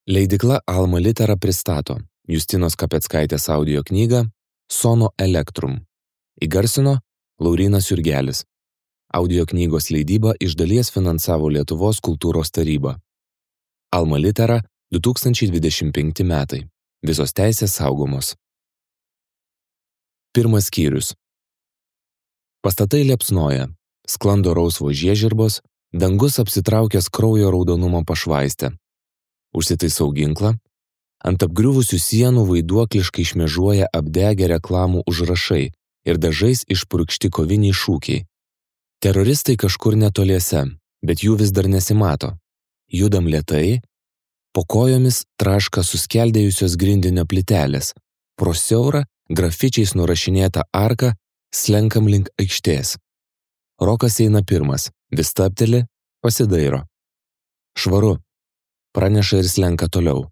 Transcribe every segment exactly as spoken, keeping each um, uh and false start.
Leidykla Alma Litera pristato Justinos Kapeckaitės audio knygą Sono Electrum. Įgarsino Laurynas Jurgelis. Audio knygos leidybą iš dalies finansavo Lietuvos kultūros taryba. Alma Litera du tūkstančiai dvidešimt penkti metai. Visos teisės saugomos. Pirmas skyrius. Pastatai liepsnoja, sklando rausvo žiežirbos, dangus apsitraukęs kraujo raudonumo pašvaistę. Užsitaisau ginklą, ant apgriuvusių sienų vaiduokliškai šmėžuoja apdegę reklamų užrašai ir dažais išpurkšti koviniai šūkiai. Teroristai kažkur netoliese, bet jų vis dar nesimato. Judam lėtai, po kojomis traška suskeldėjusios grindinio plytelės, pro siaurą, grafičiais nurašinėtą arką slenkam link aikštės. Rokas eina pirmas, vis stabteli, pasidairo. Švaru, praneša ir slenka toliau.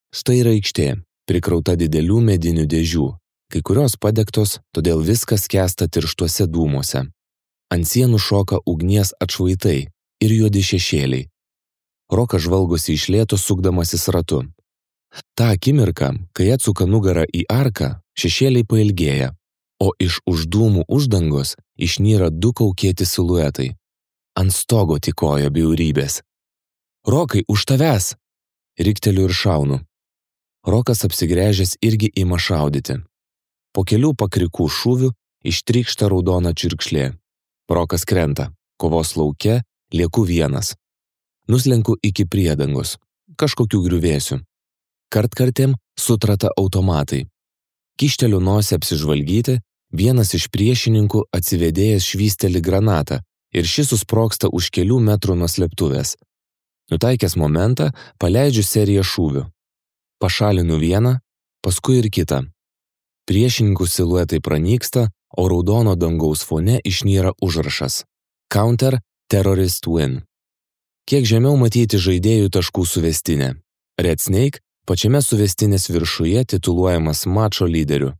Štai yra aikštė, prikrauta didelių medinių dėžių, kai kurios padegtos, todėl viskas skęsta tirštuose dūmuose. Ant sienų šoka ugnies atšvaitai ir juodi šešėliai. Rokas žvalgosi iš lėto sukdamasis ratu. Ta akimirka, kai atsuka nugarą į arką, šešėliai pailgėja, o iš už dūmų uždangos išnyra du kaukėti siluetai. Ant stogo tykojo bjaurybės. Rokai, už tavęs! Rikteliu ir šaunu. Rokas apsigręžęs irgi ima šaudyti. Po kelių pakrikų šūvių ištrykšta raudona čirkšlė. Rokas krenta. Kovos lauke lieku vienas. Nuslenku iki priedangos. Kažkokių griuvėsių. Kartkartėm sutrata automatai. Kišteliu nosį apsižvalgyti, vienas iš priešininkų atsivedėjęs švysteli granatą ir šis susprogsta už kelių metrų nuo slėptuvės. Nutaikęs momentą, paleidžiu seriją šūvių. Pašalinu vieną, paskui ir kitą. Priešininkų siluetai pranyksta, o raudono dangaus fone išnyra užrašas. Counter Terrorist Win. Kiek žemiau matyti žaidėjų taškų suvestinė. Red Snake pačiame suvestinės viršuje tituluojamas mačo lyderiu.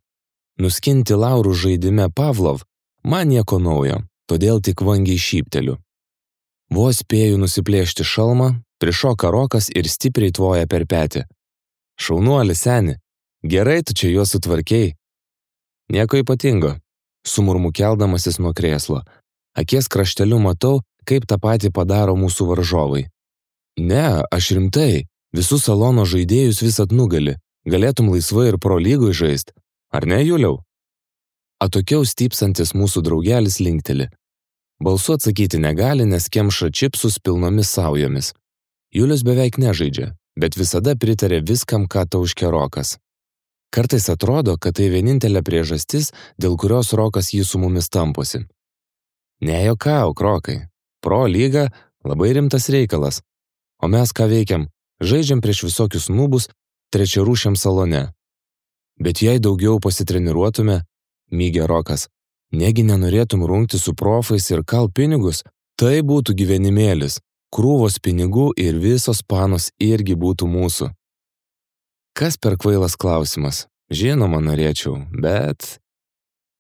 Nuskinti laurų žaidime Pavlov man nieko naujo, todėl tik vangiai šypteliu. Vos spėju nusiplėšti šalmą, prišoka Rokas ir stipriai tvoja per petį. Šaunuoli, seni, gerai tu čia juos sutvarkei. Nieko ypatingo, sumurmu keldamasis nuo krėslo. Akies krašteliu matau, kaip tą patį padaro mūsų varžovai. Ne, aš rimtai, visus salono žaidėjus vis atnugali, galėtum laisvai ir pro lygoj žaist. Ar ne, Juliau? Atokiau stypsantis mūsų draugelis linkteli. Balsu atsakyti negali, nes kemša čipsus pilnomis saujomis. Julius beveik nežaidžia, bet visada pritarė viskam, ką tauškia Rokas. Kartais atrodo, kad tai vienintelė priežastis, dėl kurios Rokas jį su mumis tamposi. Nejuokauk, Rokai. Pro lyga labai rimtas reikalas. O mes ką veikiam? Žaidžiam prieš visokius nubus trečiarūšiam salone. Bet jei daugiau pasitreniruotume, mygė Rokas, negi nenorėtum rungti su profais ir kal pinigus, tai būtų gyvenimėlis, krūvos pinigų ir visos panos irgi būtų mūsų. Kas per kvailas klausimas? Žinoma, norėčiau, bet...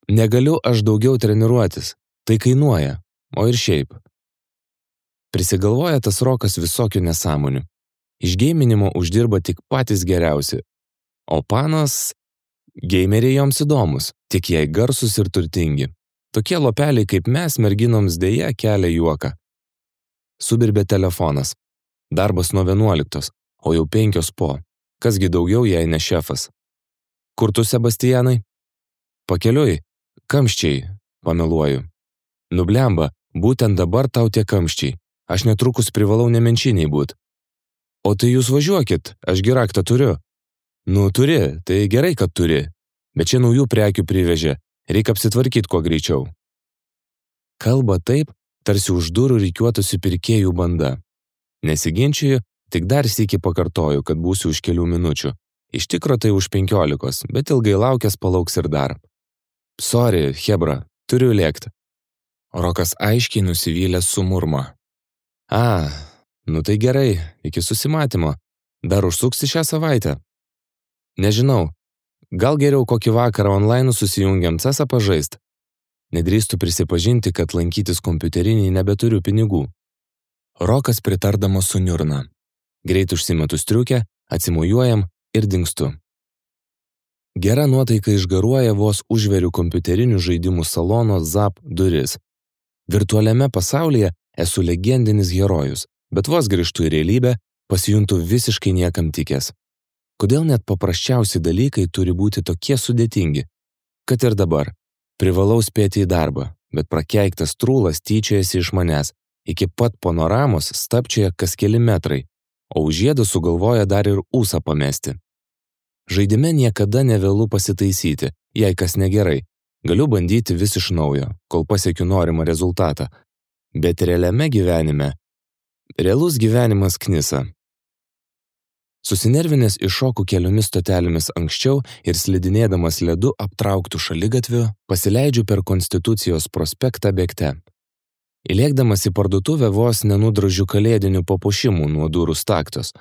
Negaliu aš daugiau treniruotis, tai kainuoja, o ir šiaip. Prisigalvoja tas Rokas visokių nesąmonių. Iš geiminimo uždirba tik patys geriausi, o panos... Geimeriai joms įdomus, tik jei garsus ir turtingi. Tokie lopeliai kaip mes merginoms dėja kelia juoką. Subirbė telefonas. Darbas nuo vienuoliktos, o jau penkios po. Kasgi daugiau, jei ne šefas. Kur tu, Sebastianai? Pakeliui. Kamščiai, pameluoju. Nublemba, būtent dabar tau tie kamščiai. Aš netrukus privalau nemenčiniai būt. O tai jūs važiuokit, aš gi raktą turiu. Nu, turi, tai gerai, kad turi. Bet čia naujų prekių privežė, reikia apsitvarkyti kuo greičiau. Kalba taip, tarsi už durų rikiuotųsi pirkėjų banda. Nesiginčiju, tik dar sykį pakartoju, kad būsiu už kelių minučių. Iš tikro tai už penkiolikos, bet ilgai laukęs palauks ir dar. Sorry, hebra, turiu lėkti. Rokas aiškiai nusivylęs sumurma. A, nu tai gerai, iki susimatymo. Dar užsuksi šią savaitę? Nežinau, gal geriau kokį vakarą online susijungiam cesą pažaist. Nedrįstu prisipažinti, kad lankytis kompiuteriniai nebeturiu pinigų. Rokas pritardamas suniurna. Greit užsimetu striukę, atsimojuojam ir dingstu. Gera nuotaika išgaruoja vos užveriu kompiuterinių žaidimų salono Zap duris. Virtualiame pasaulyje esu legendinis herojus, bet vos grįžtu į realybę, pasijuntu visiškai niekam tikęs. Kodėl net paprasčiausi dalykai turi būti tokie sudėtingi? Kad ir dabar. Privalau spėti į darbą, bet prakeiktas trūlas tyčiojasi iš manęs. Iki pat panoramos stapčioja kas keli metrai, o už žiedą sugalvoja dar ir ūsą pamesti. Žaidime niekada nevėlu pasitaisyti, jei kas negerai. Galiu bandyti vis iš naujo, kol pasiekiu norimą rezultatą. Bet realiame gyvenime, realus gyvenimas knisa. Susinervinęs iššoku keliomis stotelėmis anksčiau ir slidinėdamas ledu aptrauktų šaligatviu, pasileidžiu per Konstitucijos prospektą bėgte. Įlėkdamas į parduotuvę vos nenudražiu kalėdinių papuošimų nuo durų staktos.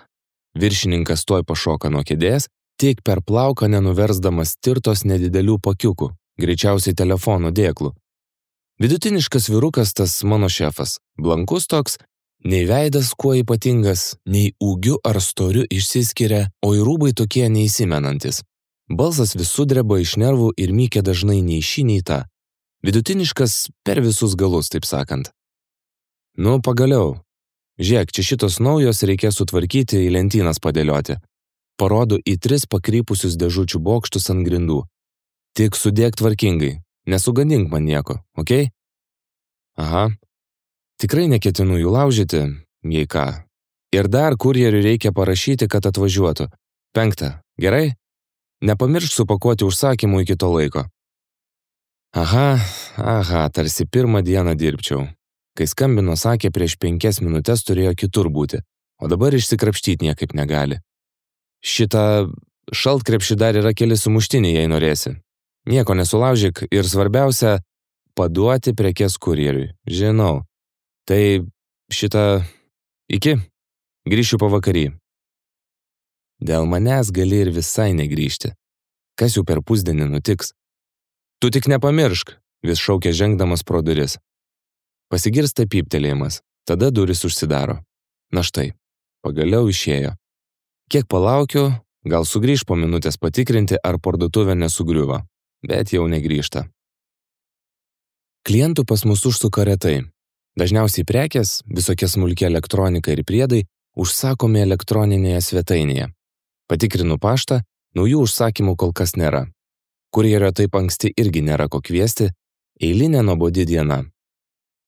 Viršininkas tuoj pašoka nuo kėdės, tik per plauką nenuversdamas tirtos nedidelių pakiukų, greičiausiai telefono dėklų. Vidutiniškas vyrukas tas mano šefas, blankus toks, nei veidas kuo ypatingas, nei ūgiu ar storiu išsiskiria, o į rūbai tokie neįsimenantis. Balsas vis sudreba iš nervų ir mykia dažnai nei šį, nei tą. Vidutiniškas per visus galus, taip sakant. Nu, pagaliau. Žiūrėk, čia šitos naujos reikės sutvarkyti, į lentynas padėlioti. Parodo į tris pakrypusius dėžučių bokštus ant grindų. Tik sudėk tvarkingai, nesugadink man nieko, okei? Okay? Aha. Tikrai neketinu jų laužyti, jei ką. Ir dar kurjeriui reikia parašyti, kad atvažiuotų. Penkta, gerai? Nepamiršk supakuoti užsakymų iki to laiko. Aha, aha, tarsi pirmą dieną dirbčiau. Kai skambino, sakė, prieš penkias minutės turėjo kitur būti, o dabar išsikrapštyti niekaip negali. Šitą šaltkrepšį dar yra keli sumuštiniai, jei norėsi. Nieko nesulaužyk ir svarbiausia, paduoti prekes kurjeriui. Žinau. Tai šitą iki, grįšiu pavakarį. Dėl manęs gali ir visai negrįžti. Kas jau per pusdienį nutiks? Tu tik nepamiršk, vis šaukia žengdamas pro duris. Pasigirsta pyptelėjimas, tada duris užsidaro. Na štai, pagaliau išėjo. Kiek palaukiu, gal sugrįž po minutės patikrinti, ar parduotuvė nesugriuvo, bet jau negrįžta. Klientų pas mus užsuka retai. Dažniausiai prekės, visokia smulkia elektronika ir priedai užsakomi elektroninėje svetainėje. Patikrinu paštą, naujų užsakymų kol kas nėra. Kurjerio taip anksti irgi nėra ko kviesti, eilinė nuobodi diena.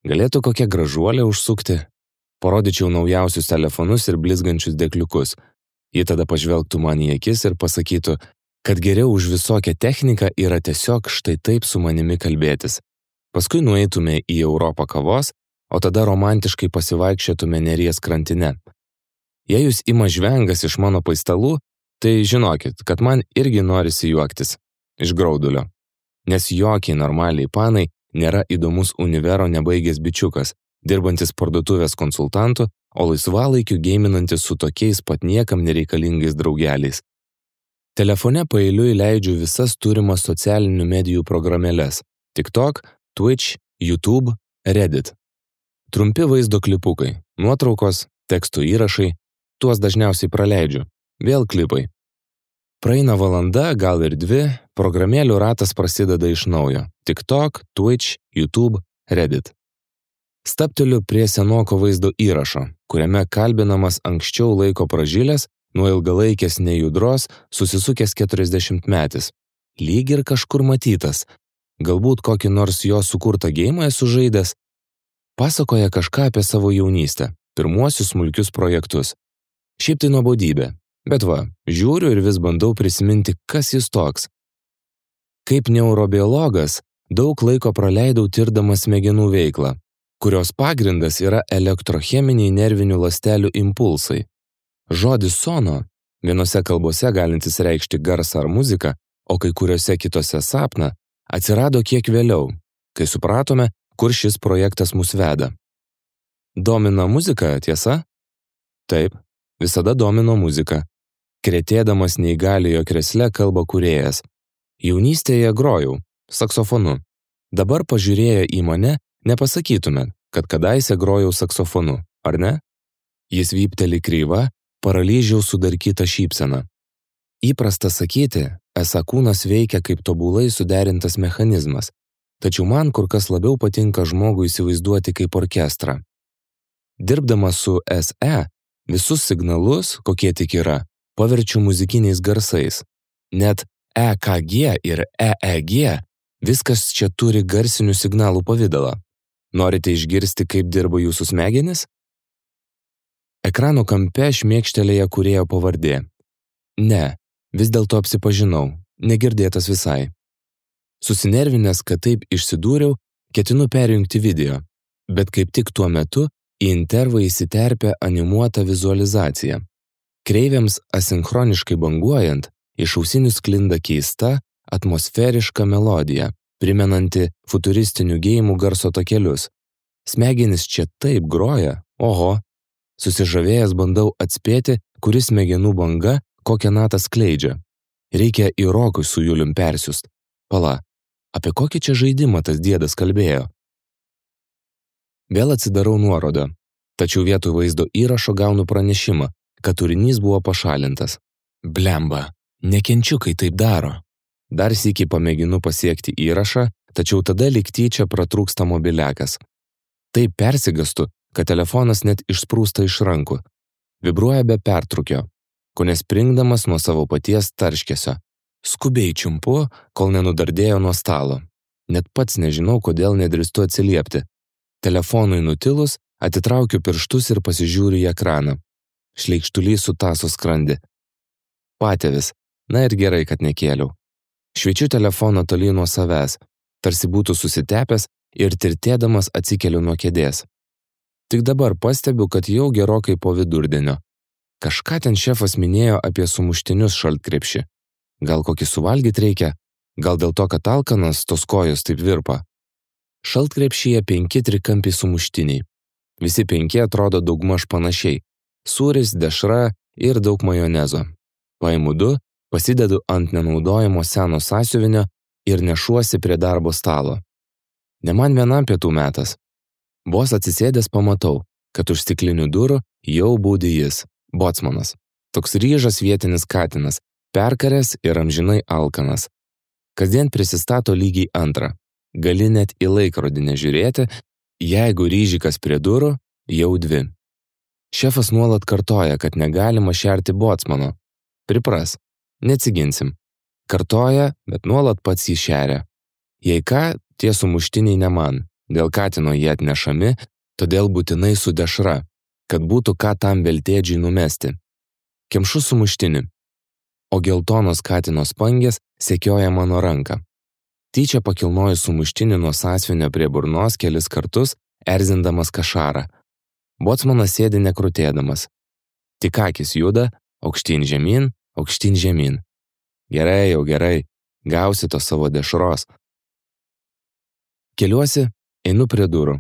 Galėtų kokia gražuolė užsukti, parodyčiau naujausius telefonus ir blizgančius dėkliukus. Ji tada pažvelgtų man į akis ir pasakytų, kad geriau už visokią techniką yra tiesiog štai taip su manimi kalbėtis. Paskui nueitume į Europą kavos, o tada romantiškai pasivaikščiotume Neries krantine. Jei jūs ima žvengas iš mano paistalų, tai žinokit, kad man irgi norisi juoktis iš graudulio. Nes jokiai normaliai panai nėra įdomus univero nebaigęs bičiukas, dirbantis parduotuvės konsultantu, o laisvalaikiu geiminantis su tokiais pat niekam nereikalingais draugeliais. Telefone paeiliui leidžiu visas turimas socialinių medijų programėles – TikTok, Twitch, YouTube, Reddit. Trumpi vaizdo klipukai, nuotraukos, tekstų įrašai, tuos dažniausiai praleidžiu, vėl klipai. Praeina valanda, gal ir dvi, programėlių ratas prasideda iš naujo – TikTok, Twitch, YouTube, Reddit. Stapteliu prie senoko vaizdo įrašo, kuriame kalbinamas anksčiau laiko pražylės, nuo ilgalaikės nejudros susisukęs keturiasdešimtmetis. Lyg ir kažkur matytas, galbūt kokį nors jo sukurtą geimą esu žaidęs. Pasakoja kažką apie savo jaunystę, pirmuosius smulkius projektus. Šiaip tai nuobodybė, bet va, žiūriu ir vis bandau prisiminti, kas jis toks. Kaip neurobiologas, daug laiko praleidau tirdamas smegenų veiklą, kurios pagrindas yra elektrocheminiai nervinių ląstelių impulsai. Žodis sono, vienose kalbose galintis reikšti garsą ar muziką, o kai kuriuose kitose sapną, atsirado kiek vėliau, kai supratome, kur šis projektas mus veda. Domina muzika, tiesa? Taip, visada domino muzika. Kretėdamas neįgaliojo kresle kalba kūrėjas. Jaunystėje grojau, saksofonu. Dabar pažiūrėję į mane, nepasakytume, kad kadaise grojau saksofonu, ar ne? Jis vypteli kryva, paralyžiaus sudarkyta šypsena. Įprasta sakyti, esą kūnas veikia kaip tobulai suderintas mechanizmas, tačiau man kur kas labiau patinka žmogų įsivaizduoti kaip orkestrą. Dirbdamas su es e, visus signalus, kokie tik yra, paverčiu muzikiniais garsais. Net e ka ge ir e e ge viskas čia turi garsinių signalų pavidalą. Norite išgirsti, kaip dirba jūsų smegenis? Ekrano kampe šmėkštelėja kūrėjo pavardė. Ne, vis dėlto apsipažinau, negirdėtas visai. Susinervinęs, kad taip išsidūriau, ketinu perjungti video, bet kaip tik tuo metu į intervą įsiterpia animuota vizualizacija. Kreivėms asinchroniškai banguojant, iš ausinių sklinda keista, atmosferiška melodija, primenanti futuristinių geimų garso takelius. Smegenys čia taip groja, oho. Susižavėjęs bandau atspėti, kuris smegenų banga kokią natą skleidžia. Reikia į rokus su Julium persiust. Pala, apie kokį čia žaidimą tas diedas kalbėjo? Vėl atsidarau nuorodą, tačiau vietoj vaizdo įrašo gaunu pranešimą, kad turinys buvo pašalintas. Blemba, nekenčiu, kai taip daro. Dar sykį pamėginu pasiekti įrašą, tačiau tada lyg tyčia pratrūksta mobiliakas. Taip persigastu, kad telefonas net išsprūsta iš rankų. Vibruoja be pertrūkio, kone springdamas nuo savo paties tarškesio. Skubiai čiumpu, kol nenudardėjo nuo stalo. Net pats nežinau, kodėl nedrįstu atsiliepti. Telefonui nutilus, atitraukiu pirštus ir pasižiūriu į ekraną. Šleikštulys sutaso skrandį. Patėvis, na ir gerai, kad nekėliau. Šviečiu telefoną tolyn nuo savęs, tarsi būtų susitepęs ir tirtėdamas atsikeliu nuo kėdės. Tik dabar pastebiu, kad jau gerokai po vidurdienio. Kažką ten šefas minėjo apie sumuštinius šaltkrepšį. Gal kokį suvalgyt reikia? Gal dėl to, kad alkanas, tos kojos taip virpa? Šaltkrepšyje penki trikampiai sumuštiniai. Visi penki atrodo daugmaž panašiai. Sūris, dešra ir daug majonezo. Paimu du, pasidedu ant nenaudojamo seno sąsiuvinio ir nešuosi prie darbo stalo. Ne man vienam pietų metas. Vos atsisėdęs pamatau, kad už stiklinių durų jau būdi jis, bocmanas. Toks ryžas vietinis katinas, perkaręs ir amžinai alkanas. Kasdien prisistato lygiai antrą. Gali net į laikrodį nežiūrėti, jeigu ryžikas prie durų, jau dvi. Šefas nuolat kartoja, kad negalima šerti bocmano. Pripras, neatsiginsim. Kartoja, bet nuolat pats jį šeria. Jei ką, tie sumuštiniai ne man. Dėl katino jie atnešami, todėl būtinai su dešra, kad būtų ką tam veltėdžiai numesti. Kemšu sumuštinį, o geltonos katino spangės sekioja mano ranką. Tyčia pakilnoju sumuštinį nuo sąsvinio prie burnos kelis kartus, erzindamas kašarą. Bocmanas sėdi nekrutėdamas. Tik akis juda, aukštyn žemyn, aukštyn žemyn. Gerai, jau gerai, gausi to savo dešros. Keliuosi, einu prie durų.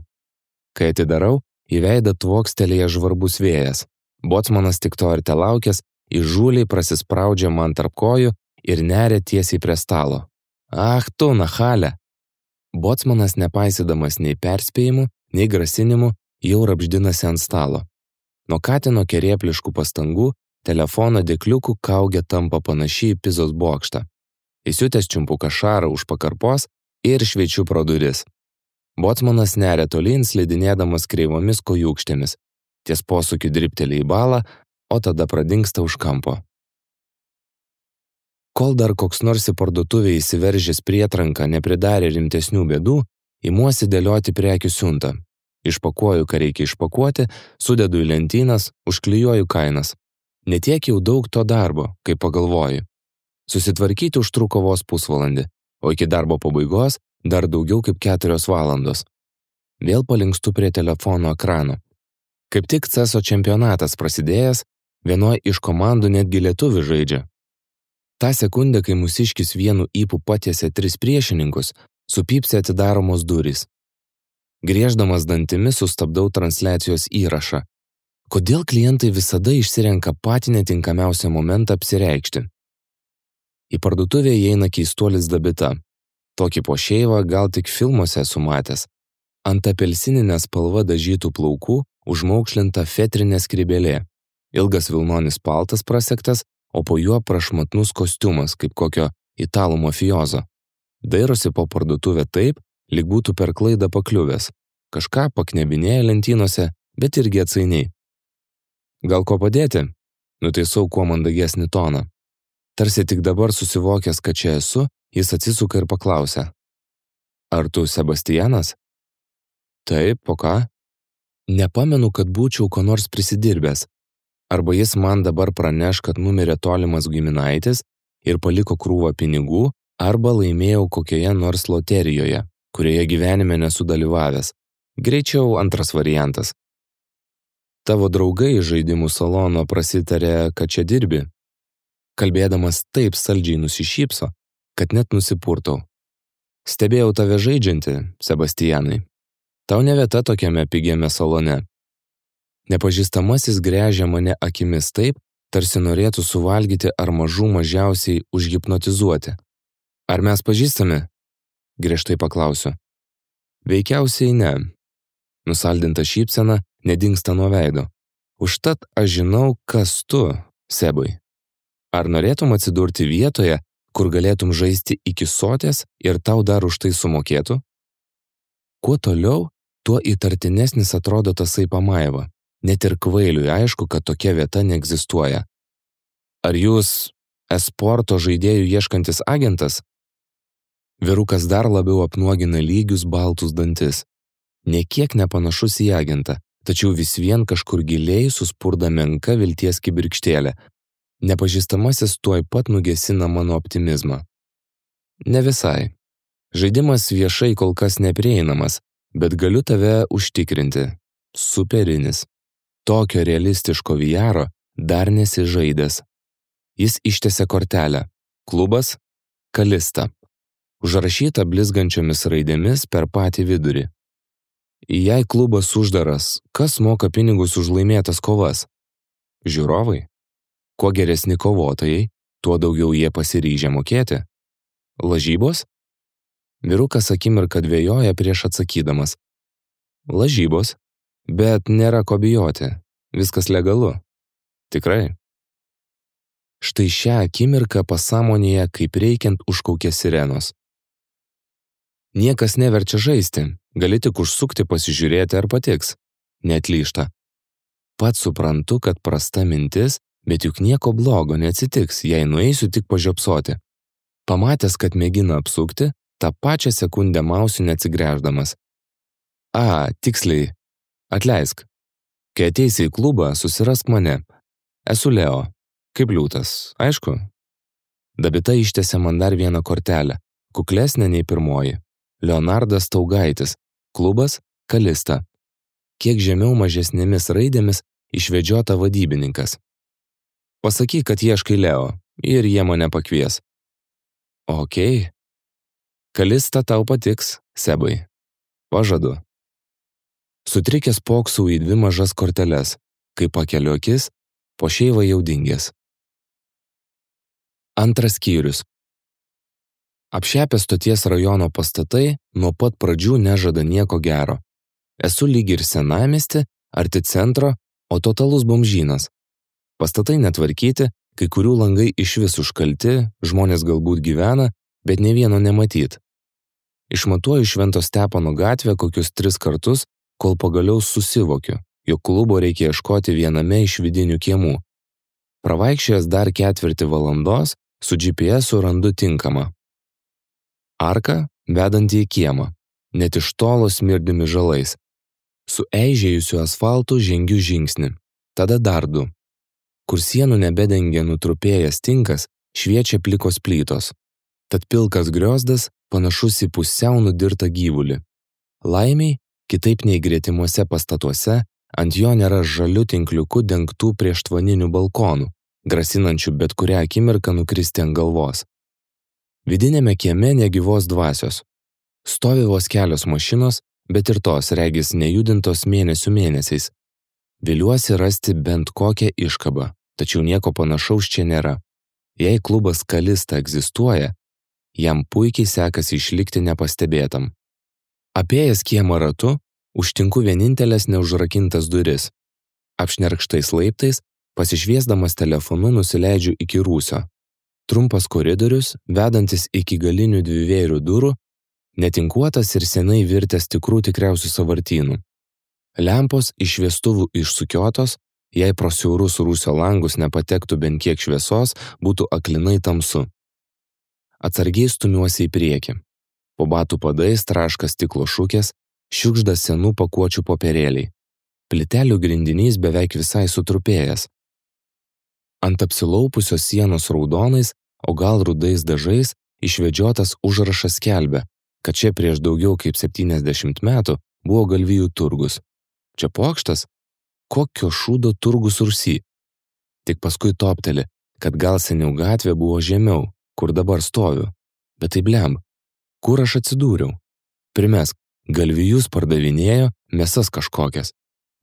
Kai atidarau, į veidą tvokstelėja žvarbus vėjas. Bocmanas tik to ir telaukęs, įžūliai prasispraudžia man tarp kojų ir neria tiesiai prie stalo. Ach tu, nachalė! Bocmanas, nepaisydamas nei perspėjimų, nei grasinimų, jau rapždinasi ant stalo. Nuo katino kerėpliškų pastangų telefono dėkliukų kaugė tampa panašiai į pizos bokštą. Įsiutęs čiumpu kašarą už pakarpos ir šveičiu pro duris. Bocmanas neria tolyn, slidinėdamas kreivomis kojūkštėmis. Ties posūkiu dribteli į balą, o tada pradingsta už kampo. Kol dar koks nors į parduotuvę įsiveržęs prietranką nepridarė rimtesnių bėdų, imuosi dėlioti prekių siuntą. Išpakuoju, ką reikia išpakuoti, sudedu į lentynas, užklijuoju kainas. Netiek jau daug to darbo, kaip pagalvoju. Susitvarkyti užtruko vos pusvalandį, o iki darbo pabaigos dar daugiau kaip keturios valandos. Vėl palinkstu prie telefono ekrano. Kaip tik ceso čempionatas prasidėjęs, vienoj iš komandų netgi lietuvių žaidžia. Ta sekundę, kai mūsiškis vienu ypu patiesė tris priešininkus, supypsė atidaromos durys. Grieždamas dantimis sustabdau transliacijos įrašą. Kodėl klientai visada išsirenka patį netinkamiausią momentą apsireikšti? Į parduotuvę įeina keistuolis Dabita. Tokį pošeivą gal tik filmuose esu matęs. Ant apelsininę spalvą dažytų plaukų užmaukšlinta fetrinė skrybėlė. Ilgas vilnonis paltas prasektas, o po juo prašmatnus kostiumas, kaip kokio italų mafiozo. Dairosi po parduotuvę taip, lyg būtų per klaidą pakliuvęs. Kažką paknebinėja lentynose, bet irgi atsainiai. Gal ko padėti? Nutaisau kuo mandagesnį toną. Tarsi tik dabar susivokęs, kad čia esu, jis atsisuka ir paklausia. Ar tu Sebastianas? Taip, po ką? Nepamenu, kad būčiau ko nors prisidirbęs. Arba jis man dabar praneš, kad numirė tolimas giminaitis ir paliko krūvą pinigų, arba laimėjau kokioje nors loterijoje, kurioje gyvenime nesu dalyvavęs. Greičiau antras variantas. Tavo draugai iš žaidimų salono prasitarė, kad čia dirbi. Kalbėdamas taip saldžiai nusišypso, kad net nusipurtau. Stebėjau tave žaidžiantį, Sebastianai. Tau ne vieta tokiame pigiame salone. Nepažįstamasis gręžia mane akimis taip, tarsi norėtų suvalgyti ar mažų mažiausiai užhipnotizuoti. Ar mes pažįstame? Griežtai paklausiu. Veikiausiai ne. Nusaldinta šypsena nedingsta nuo veido. Užtat aš žinau, kas tu, Sebai. Ar norėtum atsidurti vietoje, kur galėtum žaisti iki sotės ir tau dar už tai sumokėtų? Kuo toliau, tuo įtartinesnis atrodo tasai pamaiva. Net ir kvailiui aišku, kad tokia vieta neegzistuoja. Ar jūs esporto žaidėjų ieškantis agentas? Vyrukas dar labiau apnuogina lygius baltus dantis. Nė kiek nepanašus į agentą, tačiau vis vien kažkur giliai suspurda menka vilties kibirkštėlė. Nepažįstamasis tuoj pat nugesina mano optimizmą. Ne visai. Žaidimas viešai kol kas neprieinamas, bet galiu tave užtikrinti. Superinis. Tokio realistiško V R dar nesižaidęs. Jis ištęsė kortelę. Klubas Kalista. Užrašyta blizgančiomis raidėmis per patį vidurį. Jei klubas uždaras, kas moka pinigus už laimėtas kovas? Žiūrovai. Kuo geresni kovotojai, tuo daugiau jie pasiryžę mokėti. Lažybos? Vyrukas akimirką dvejoja prieš atsakydamas. Lažybos? Bet nėra ko bijoti. Viskas legalu. Tikrai. Štai šią akimirką pasąmonėje kaip reikiant užkaukė sirenos. Niekas neverčia žaisti, gali tik užsukti pasižiūrėti ar patiks. Neatlyžta. Pats suprantu, kad prasta mintis, bet juk nieko blogo neatsitiks, jei nueisiu tik pažiopsoti. Pamatęs, kad mėgina apsukti, tą pačią sekundę mausiu neatsigręždamas. A, tiksliai. Atleisk. Kai ateisi į klubą, susirask mane. Esu Leo. Kaip liūtas, aišku? Dabita ištėsė man dar vieną kortelę, kuklesnė nei pirmoji. Leonardas Taugaitis. Klubas Kalista. Kiek žemiau mažesnėmis raidėmis išvedžiota vadybininkas. Pasakyk, kad ieškai Leo ir jie mane pakvies. Okei. Kalista tau patiks, Sebai. Pažadu. Sutrikęs poksau į dvi mažas korteles, kai pakeliu akis, po šeivą jau dingęs. Antras skyrius. Apšepę stoties rajono pastatai nuo pat pradžių nežada nieko gero. Esu lyg ir senamiesty, arti centro, o totalus bomžynas. Pastatai netvarkyti, kai kurių langai išvis užkalti, žmonės galbūt gyvena, bet ne vieno nematyt. Išmatuoju Švento Stepono gatvę kokius tris kartus, kol pagaliau susivokiu, jog klubo reikia ieškoti viename iš vidinių kiemų. Pravaikščiojęs dar ketvirtį valandos, su G P S randu tinkamą. Arka vedanti į kiemą, net iš tolo smirdimi žalais. Su eižėjusiu asfaltu žengiu žingsnį, tada dar du. Kur sienų nebedengia nutrupėjęs tinkas, šviečia plikos plytos. Tad pilkas griozdas panašus į pusiau nudirtą gyvulį. Laimiai, kitaip nei gretimuose pastatuose, ant jo nėra žaliu tinkliuku dengtų prieštvaninių balkonų, grasinančių bet kurią akimirką nukristi ant galvos. Vidinėme kieme negyvos dvasios. Stovi vos kelios mašinos, bet ir tos regis nejudintos mėnesių mėnesiais. Viliuosi rasti bent kokią iškabą, tačiau nieko panašaus čia nėra. Jei klubas Kalista egzistuoja, jam puikiai sekasi išlikti nepastebėtam. Apėjęs kiemą ratu, užtinku vienintelės neužrakintas duris. Apšnerkštais laiptais Pasišviesdamas telefonu nusileidžiu iki rūsio. Trumpas koridorius, vedantis iki galinių dvivėrių durų, netinkuotas ir senai virtęs tikrų tikriausių sąvartynų. Lempos iš šviestuvų išsukiotos, jei pro siaurus rūsio langus nepatektų bent kiek šviesos, būtų aklinai tamsu. Atsargiai stumiuosi į priekį. Po batų padais traška stiklo šukės, šiukšda senų pakuočių popierėliai. Plytelių grindinys beveik visai sutrupėjęs. Ant apsilaupusios sienos raudonais, o gal rudais dažais, išvedžiotas užrašas skelbia, kad čia prieš daugiau kaip septyniasdešimt metų buvo galvijų turgus. Čia Pokštas? Kokio šūdo turgus Rūsy? Tik paskui topteli, kad gal seniau gatvė buvo žemiau, kur dabar stoviu. Bet tai blemb, kur aš atsidūriau? Primesk, galvijus pardavinėjo, mesas kažkokias.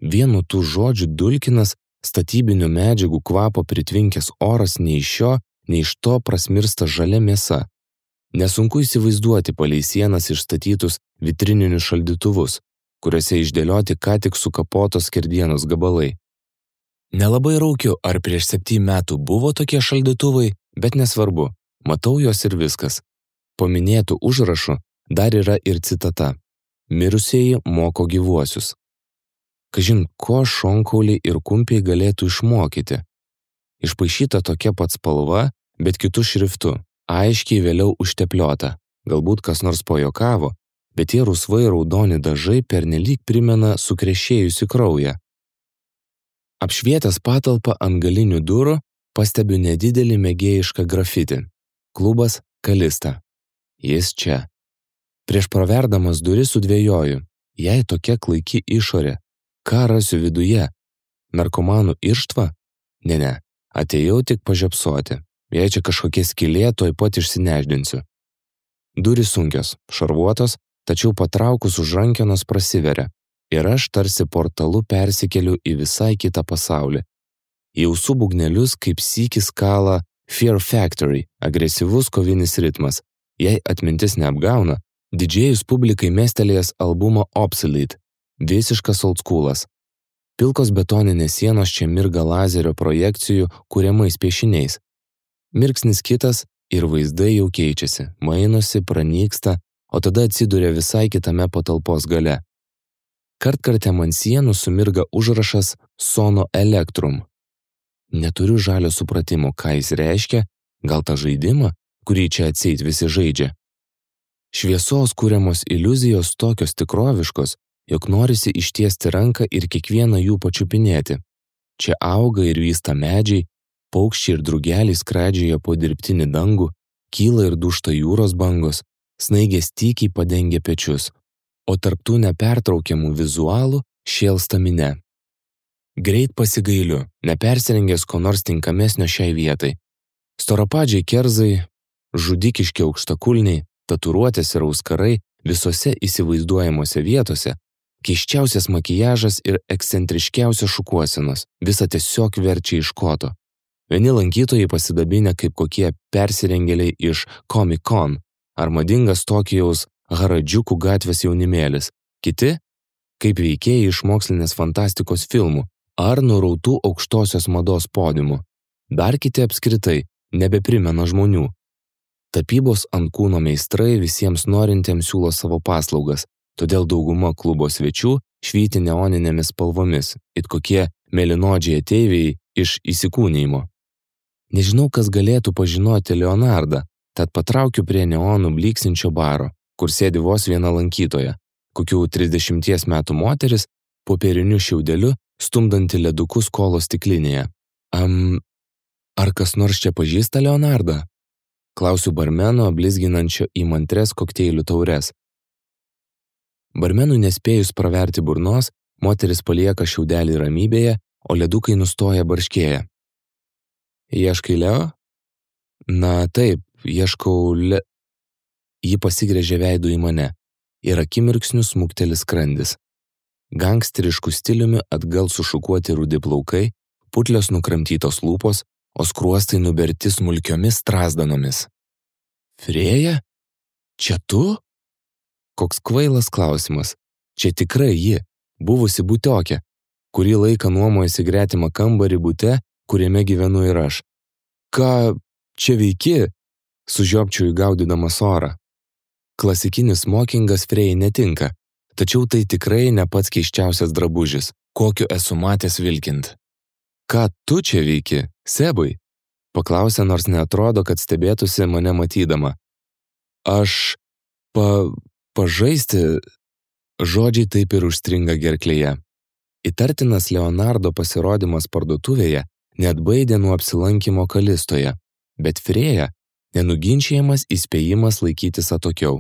Vienu tų žodžių dulkinas, statybinių medžiagų kvapo pritvinkęs oras nei iš šio, nei iš to prasmirsta žalia mėsa. Nesunku įsivaizduoti palei sienas išstatytus vitrininius šaldytuvus, kuriuose išdėlioti ką tik sukapotos skerdienos gabalai. Nelabai raukiu, ar prieš septynių metų buvo tokie šaldytuvai, bet nesvarbu, matau juos ir viskas. Po minėtų užrašų dar yra ir citata. Mirusieji moko gyvuosius. Kažin, ko šonkauliai ir kumpiai galėtų išmokyti. Išpaišyta tokia pat spalva, bet kitų šriftų, aiškiai vėliau užtepliota. Galbūt kas nors pajokavo, bet tie rusvai raudoni dažai pernelyg primena sukrešėjusi kraują. Apšvietęs patalpą ant galinių durų, pastebiu nedidelį mėgėjišką grafitį. Klubas Kalista. Jis čia. Prieš praverdamas duris sudvejoju, jei tokia klaiki išorė, ką rasiu viduje? Narkomanų irštva? Ne, ne, atėjau tik pažiopsoti. Jei čia kažkokie skylė, tuoj pat išsineždinsiu. Durys sunkios, šarvuotos, tačiau patraukus už rankenos prasiveria. Ir aš tarsi portalu persikeliu į visai kitą pasaulį. Į ausų būgnelius kaip sykis kala Fear Factory, agresyvus kovinis ritmas. Jei atmintis neapgauna, didžėjus publikai mestelėjęs albumą Obsolete, visiškas oldschoolas. Pilkos betoninės sienos čia mirga lazerio projekcijų kuriamais piešiniais. Mirksnis kitas ir vaizdai jau keičiasi, mainosi, pranyksta, o tada atsiduria visai kitame patalpos gale. Kartkartėm ant sienų sumirga užrašas Sono Electrum. Neturiu žalio supratimo, ką jis reiškia, gal tą žaidimą, kurį čia atseit visi žaidžia. Šviesos kuriamos iliuzijos tokios tikroviškos, jog norisi ištiesti ranką ir kiekvieną jų pačiupinėti. Čia auga ir vysta medžiai, paukščiai ir drugeliai skraidžioja po dirbtinį dangų, kyla ir dūžta jūros bangos, snaigės tykiai padengia pečius, o tarptų nepertraukiamų vizualų šėlsta minia. Greit pasigailiu, nepersirengęs ko nors tinkamesnio šiai vietai. Storapadžiai kerzai, žudikiški aukštakulniai, tatuiruotės ir auskarai visose įsivaizduojamuose vietose, keisčiausias makijažas ir ekscentriškiausios šukuosenos, visa tiesiog verčia iš koto. Vieni lankytojai pasidabinę kaip kokie persirengėliai iš Comic Con ar madingas Tokijaus Haradžiukų gatvės jaunimėlis, kiti kaip veikėjai iš mokslinės fantastikos filmų ar nurautų aukštosios mados podiumų. Dar kiti apskritai nebeprimena žmonių. Tapybos ant kūno meistrai visiems norintiems siūlo savo paslaugas, todėl dauguma klubo svečių švyti neoninėmis spalvomis, it kokie mėlynodžiai ateiviai iš įsikūnijimo. Nežinau, kas galėtų pažinoti Leonardą, tad patraukiu prie neonų bliksinčio baro, kur sėdi vos viena lankytoja, kokių trisdešimties metų moteris, popieriniu šiaudeliu, stumdanti ledukus kolo stiklinėje. Am, ar kas nors čia pažįsta Leonardą? Klausiu barmeno, blizginančio įmantres kokteilių taures. Barmenui nespėjus praverti burnos, moteris palieka šiaudelį ramybėje, o ledukai nustoja barškėję. Ieškai Leo? Na taip, ieškau Le... Ji pasigręžė veidu į mane ir akimirksniu smukteli skrandis. Gangsterišku stiliumi atgal sušukuoti rudi plaukai, putlios nukramtytos lūpos, o skruostai nuberti smulkiomis strazdanomis. Frėja? Čia tu? Koks kvailas klausimas. Čia tikrai ji, buvusi butiokė, kurį laiką nuomojasi gretimą kambarį bute, kuriame gyvenu ir aš. Ką čia veiki? Sužiopčiau įgaudydamas orą. Klasikinis smokingas Frėjai netinka, tačiau tai tikrai ne pats keisčiausias drabužis, kokiu esu matęs vilkint. Ką tu čia veiki, Sebai? Paklausė, nors neatrodo, kad stebėtųsi mane matydama. Aš pa... pažaisti... Žodžiai taip ir užstringa gerklėje. Įtartinas Leonardo pasirodymas parduotuvėje neatbaidė nuo apsilankymo Kalistoje, bet Frėja nenuginčiamas įspėjimas laikytis atokiau.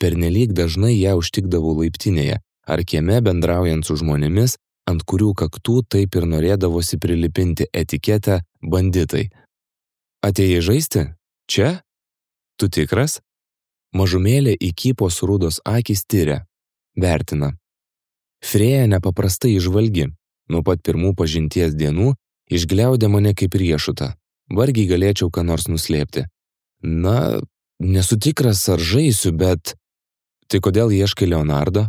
Pernelyg dažnai ją užtikdavau laiptinėje ar kieme bendraujant su žmonėmis, ant kurių kaktų taip ir norėdavosi prilipinti etiketę banditai. Atėjai žaisti? Čia? Tu tikras? Mažumėlė įkypos rudos akys tyria. Vertina. Frėja nepaprastai įžvalgi. Nuo pat pirmų pažinties dienų išgliaudė mane kaip riešutą. Vargiai galėčiau ką nors nuslėpti. Na, nesu tikras, ar žaisiu, bet... Tai kodėl ieškai Leonardo?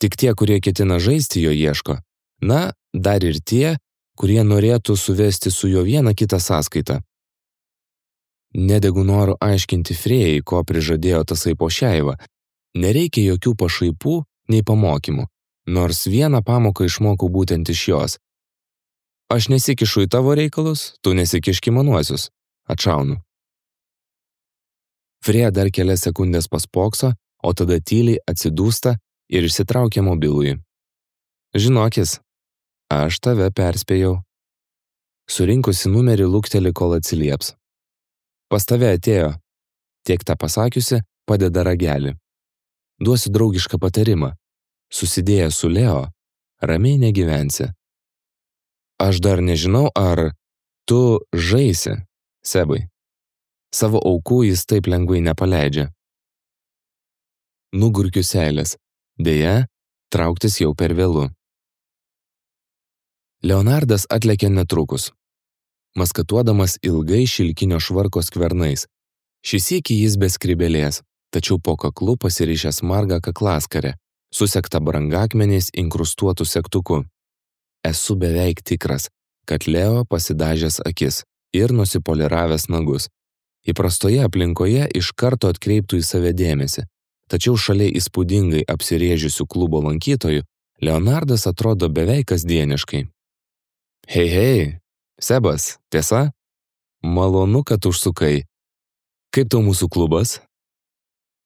Tik tie, kurie ketina žaisti, jo ieško. Na, dar ir tie, kurie norėtų suvesti su juo vieną kitą sąskaitą. Nedegu noru aiškinti Frėjai, ko prižadėjo tasai Pošeiva. Nereikia jokių pašaipų nei pamokymų, nors vieną pamoką išmokau būtent iš jos. Aš nesikišu į tavo reikalus, tu nesikiški manuosius. Atšaunu. Frėja dar kelias sekundės paspokso, o tada tyliai atsidūsta ir išsitraukia mobilųjį. Žinokis, aš tave perspėjau. Surinkusi numerį lukteli, kol atsilieps. Pas tave atėjo. Tiek tą pasakiusi, padeda ragelį. Duosiu draugišką patarimą. Susidėję su Leo, ramiai negyvensi. Aš dar nežinau, ar tu žaisi, Sebai. Savo aukų jis taip lengvai nepaleidžia. Nugurkiu seilės. Deja, trauktis jau per vėlu. Leonardas atlėkė netrukus, maskatuodamas ilgai šilkinio švarko skvernais. Šis sykį jis be skrybelės, tačiau po kaklu pasirišęs margą kaklaskarę, susektą brangakmeniais inkrustuotų segtuku. Esu beveik tikras, kad Leo pasidažęs akis ir nusipoliravęs nagus. Įprastoje aplinkoje iš karto atkreiptų į save dėmesį, tačiau šalia įspūdingai apsirėžiusių klubo lankytojų Leonardas atrodo beveik kasdieniškai. Hei, hei, Sebas, tiesa? Malonu, kad užsukai. Kaip tau mūsų klubas?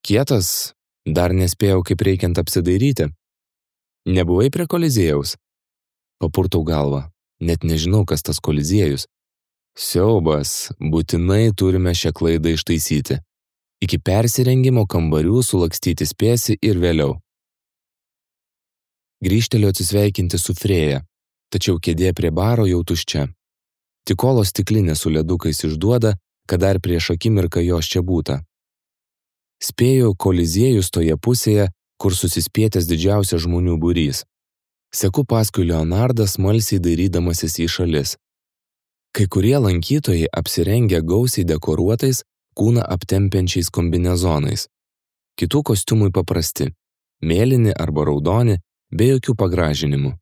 Kietas, dar nespėjau kaip reikiant apsidairyti. Nebuvai prie Koliziejaus? Papurtau galvą, net nežinau, kas tas Koliziejus. Siaubas, būtinai turime šią klaidą ištaisyti. Iki persirengimo kambarių sulakstyti spėsi ir vėliau. Grįžteliu atsisveikinti su Frėja, tačiau kėdė prie baro jau tuščia. Tik olos stiklinė su ledukais išduoda, kad dar prieš akimirką jos čia būta. Spėju, Koliziejus toje pusėje, kur susispietęs didžiausias žmonių būrys. Seku paskui Leonardą smalsiai dairydamasis į šalis. Kai kurie lankytojai apsirengę gausiai dekoruotais, kūną aptempiančiais kombinezonais. Kitų kostiumai paprasti, mėlyni arba raudoni, be jokių pagražinimų.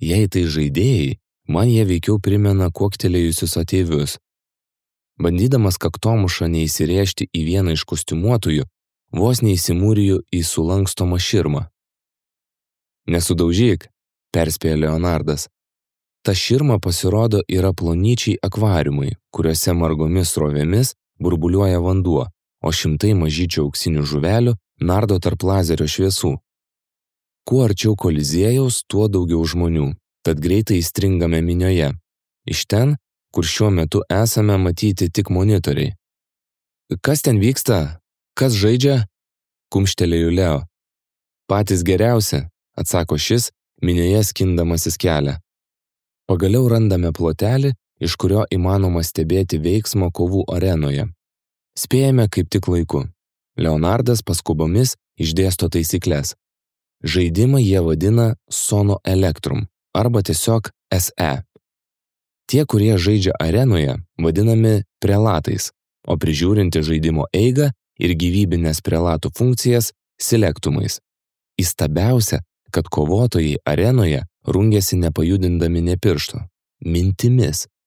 Jei tai žaidėjai, man jie veikiau primena kuoktelėjusius ateivius. Bandydamas kaktomušą neįsirėžti į vieną iš kostiumuotųjų, vos neįsimūriju į sulankstomą širmą. Nesudaužyk, perspėjo Leonardas. Ta širma pasirodo yra plonyčiai akvariumai, kuriuose margomis srovėmis burbuliuoja vanduo, o šimtai mažyčių auksinių žuvelių nardo tarp lazerio šviesų. Kuo arčiau Koliziejaus, tuo daugiau žmonių, tad greitai įstringame minioje. Iš ten, kur šiuo metu esame, matyti tik monitoriai. Kas ten vyksta? Kas žaidžia? Kumštelėjo Leo. Patys geriausi, atsako šis, minioje skindamasis kelią. Pagaliau randame plotelį, iš kurio įmanoma stebėti veiksmą kovų arenoje. Spėjame kaip tik laiku. Leonardas paskubomis išdėsto taisykles. Žaidimą jie vadina Sono Electrum arba tiesiog S E. Tie, kurie žaidžia arenoje, vadinami prelatais, o prižiūrinti žaidimo eigą ir gyvybinės prelatų funkcijas selektumais. Įstabiausia, kad kovotojai arenoje rungiasi nepajudindami nė piršto. mintimis,